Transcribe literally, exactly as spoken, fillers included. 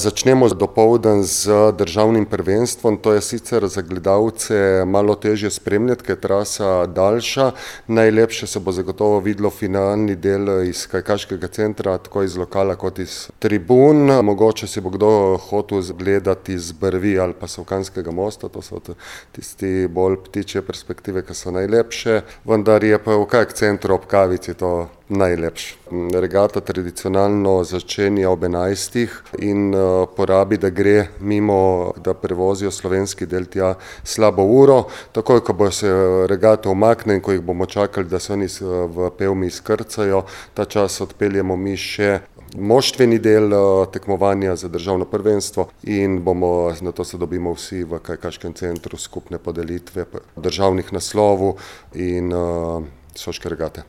Začnemo dopoldan z državnim prvenstvom, to je sicer za gledalce malo težje spremljati, ker je trasa daljša. Najlepše se bo zagotovo videlo finalni del iz kajakaškega centra, tako iz lokala kot iz tribun. Mogoče si bo kdo hotel gledati z brvi ali pa Savkanskega mosta, to so tisti bolj ptičje perspektive, ki so najlepše, vendar je pa v kajak centru ob kavici to najlepše. Regata tradicionalno začenja ob enajstih in porabi, da gre mimo, da prevozijo slovenski del tja slabo uro. Takoj, ko bo se regata umakne in ko jih bomo čakali, da se oni v Pevmi izkrcajo, ta čas odpeljemo mi še moštveni del tekmovanja za državno prvenstvo in bomo, na to se dobimo vsi v kajakaškem centru, skupne podelitve državnih naslovov in Soške regate.